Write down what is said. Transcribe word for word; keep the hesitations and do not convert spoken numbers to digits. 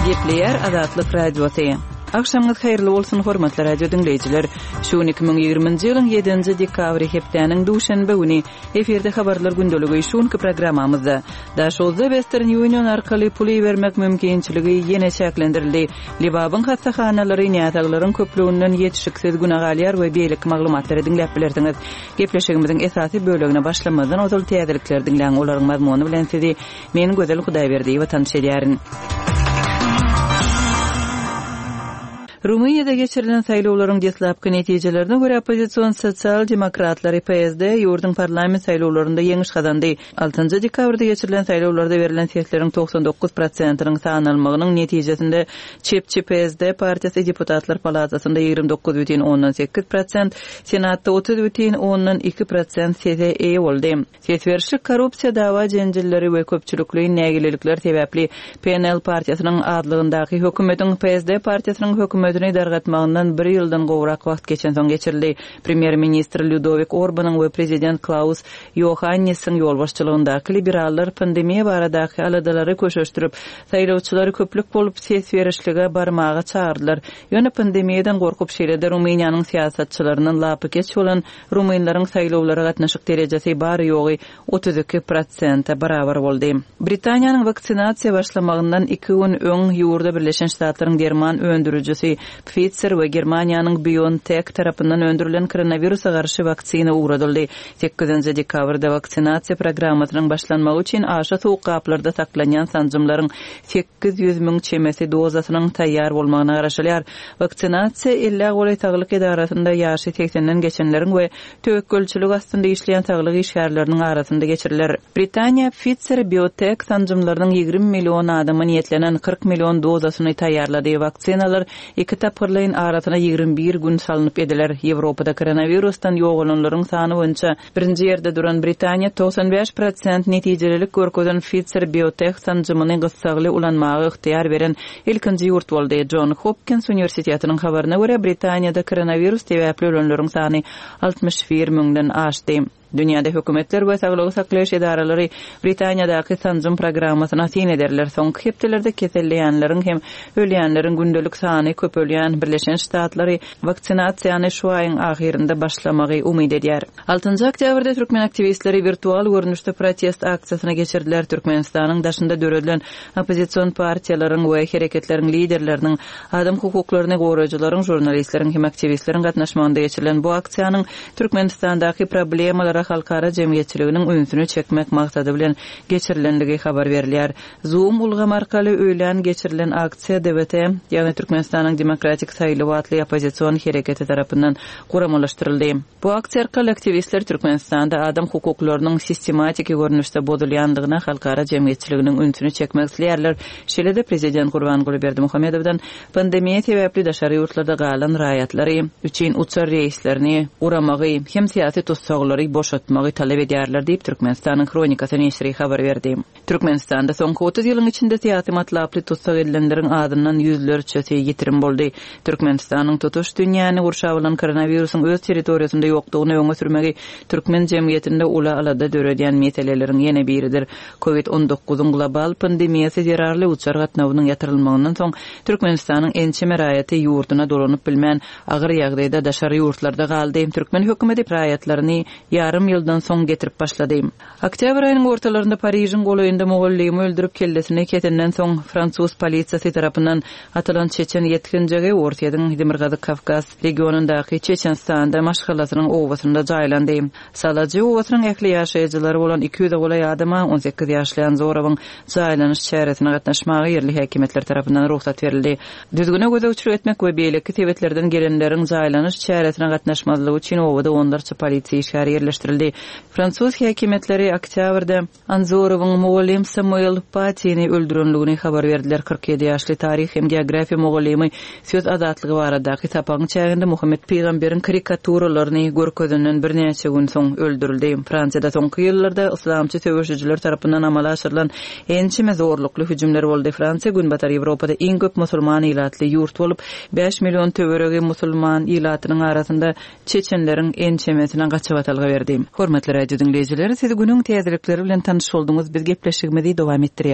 Gepleýär Azatlyk Radiosy. Agşamyňyz haýyrly bolsun, hormatly radio diňleýjiler. Şu gün iki müň ýigriminji ýylyň ýedinji dekabry hepdäniň duşenbe güni. Efirde habarlar gündeligi şu günki programmamyzda. Daşoguzda Western Union arkaly pul ibermek mümkinçiligi ýene çäklendirildi. Lebabyň hassahanalary näsaglaryň köplüginden ýetişiksiz güne galýar we beýleki maglumatlary diňläp bilersiňiz. Gepleşigimiziň esasy bölegine başlamazdan ozal täzelikleri diňläň, olaryň mazmuny bilen sizi men Gözel Hudaýberdiýewa tanyş edýärin. Rumyniýada geçirilen saýlawlaryň deslapky netijelerine görä oppozision sosial-demokratlary P S D ýurduň parlament saýlawlarynda ýeňiş gazandy. Altynjy dekabrda geçirilen saýlawlarda berlen sesleriň togsan dokuz prosentiniň sanalmagynyň netijesinde çepçi P S D partiýasy deputatlar palatasynda ýigrimi dokuz bütin ondan sekiz prosent, senatda otuz bütin ondan iki prosent sese eýe boldy. Ses berişlik korrupsiýa dawa jenjilleri we köpçülikleýin nägilelikler sebäpli P N L partiýasynyň adlygyndaky hökümetiň P S D partiýasynyň hökümetini dargatmagyndan bir ýyldan gowrak wagt geçen soň geçirildi. Premýer-ministr Ludowik Orbanyň we prezident Klaus Iohannisiň ýolbaşçylygyndaky liberallar pandemiýa baradaky aladalary köşeşdirip, saýlawçylary köplük bolup ses berişlige barmaga çağırdylar. Ýöne pandemiýadan gorkup şeýle-de Rumyniýanyň syýasatçylaryndan lapykeç bolan rumynlaryň saýlawlara gatnaşyk derejesi bary ýogy otuz iki prosente barabar boldy. Britaniýanyň waksinasiýa başlamagyndan iki gün öň ýurda Birleşen Ştatlaryň derman öndürijisi Pfizer we Germaniýanyň BioNTech tarapyndan öndürilen koronawirusa garşy waksina ugradyldy. Sekizinji dekabrda waksinasiýa programmasynyň başlanmagy üçin aşa soğuk gaplarda saklanýan sanjymlaryň sekiz ýüz müň çemesi dozasynyň taýýar bolmagyna garaşylýar. Waksinasiýa elli golaý saglyk edarasynda ýaşy seksenden geçenleriň we töwekgelçilik astynda işleýän saglyk işgärleriniň arasynda geçiriler. Britaniýa Pfizer BioNTech sanjymlarynyň ýigrimi million adama niýetlenen kyrk million dozasyny taýýarlady. Waksinalar iki tapgyrlaýyn arasyna ýigrimi bir gün salnyp ediler. Ýewropada koronavirusdan ýogalanlaryň sany boýunça birinji ýerde duran Britaniýa togsan bäş prosent netijelilik görkezen Pfizer BioNTech sanjymyny gyssagly ulanmaga ygtyýar beren ilkinji ýurt boldy. John Hopkins Uniwersitetiniň habaryna görä Britaniýada koronavirus sebäpli ölenleriň sany altmyş bir müňden aşdy. Dünýäde hökümetler we saglygy saklaýyş edaralary Britaniýadaky sanjym programmasyna syn ederler. Soňky hepdelerde keselleýänleriň hem ölýänleriň gündelik sany köpelýän Birleşen Ştatlary waksinasiýany şu aýyň ahyrynda başlamagy umyt edýär. Altynjy oktýabrda türkmen aktiwistleri wirtual görnüşde protest aksiýasyna geçirdiler. Türkmenistanyň daşynda döredilen oppozision partiýalaryň we hereketleriň liderleriniň, adam hukuklaryny goraýjylaryň, žurnalistleriň hem aktiwistleriň gatnaşmagynda geçirilen bu aksiýanyň Türkmenistandaky problemalara halkara jemgyýetçiliginiň ünsüni çekmek maksady bilen geçirilenligi habar berilýär. Zoom ulgamy arkaly öýlän geçirilen aksiýa D V T, ýagny Türkmenistanyň Demokratik Saýlaw atly oppozision hereketi tarapyndan guramalaşdyryldy. Bu aksiýa arkaly aktiwistler Türkmenistanda adam hukuklarynyň sistematiki görnüşde bozulýandygyna halkara jemgyýetçiliginiň ünsüni çekmek isleýärler. Şeýle-de prezident Gurbanguly Berdimuhamedowdan pandemiýa sebäpli daşary ýurtlarda galan raýatlary üçin uçar reýslerini guramagy hem syýasy tutsaglary boşatmagy talap edýärler diýip Türkmenistanyň Hronikasy neşiri habar berdi. Türkmenistanda soňky otuz ýylyň içinde syýasy matlaply tutsag edilenleriň adyndan ýüzlerçesi ýitirim boldy. Türkmenistanyň tutuş dünýäni gurşap alan koronawirusyň öz territoriýasynda ýokdugyny öňe sürmegi türkmen jemgyýetinde ula alada döredýän meseleleriň ýene biridir. Covid on dokuzyň global pandemiýasy zerarly uçar gatnawynyň ýatyrylmagyndan soň Türkmenistanyň ençeme raýaty ýurduna dolanyp bilmän agyr ýagdaýda daşary ýurtlarda galdy. Türkmen hökümeti raýatlaryny ýarym ýyldan soň getirip başlady. Oktýabr aýynyň ortalarynda Parižiň golaýynda mugallymy öldürip kellesini kesenden soň fransuz polisiýasy tarapyndan atylan Çeçen ýetginjegi Orsýetiň Demirgazyk Kawkaz regionyndaky Çeçenistanda maşgalasynyň obasynda jaýlandy. Salajy obasynyň ähli ýaşaýjylary bolan iki ýüze golaý adama on sekiz ýaşly Anzorowyň jaýlanyş çäresine gatnaşmaga ýerli häkimiýetler tarapyndan rugsat berildi. Düzgüne gözegçilik etmek we beýleki sebetlerden gelenleriň jaýlanyş çäresine gatnaşmazlygy üçin obada onlarça polisiýa işgäri ýerleşdirildi. Fransuz häkimiýetleri oktýabrda Anzorowyň mugallym Samuel Patini öldürenligini habar berdiler. Kyrk ýedi ýaşly taryh hem geografiýa mugallymy söz azatlygy baradaky sapagyň çäginde Muhammed Pygamberiň karikaturalaryny görkezenden birnäçe gün soň öldürildi. Fransiýada soňky ýyllarda islamçy söweşijiler tarapyndan amala aşyrylan ençeme zorlukly hüjümler boldy. Fransiýa Günbatar Ýewropada iň köp musulman ilatly ýurt bolup, bäş million töweregi musulman ilatynyň arasynda Çeçenleriň ençemesine gaçybatalga berdi. Hormatly radio diňleýjiler, siz günüň täzelikleri bilen tanyş bolduňyz. Biz gepleşigimizi dowam etdirýäris.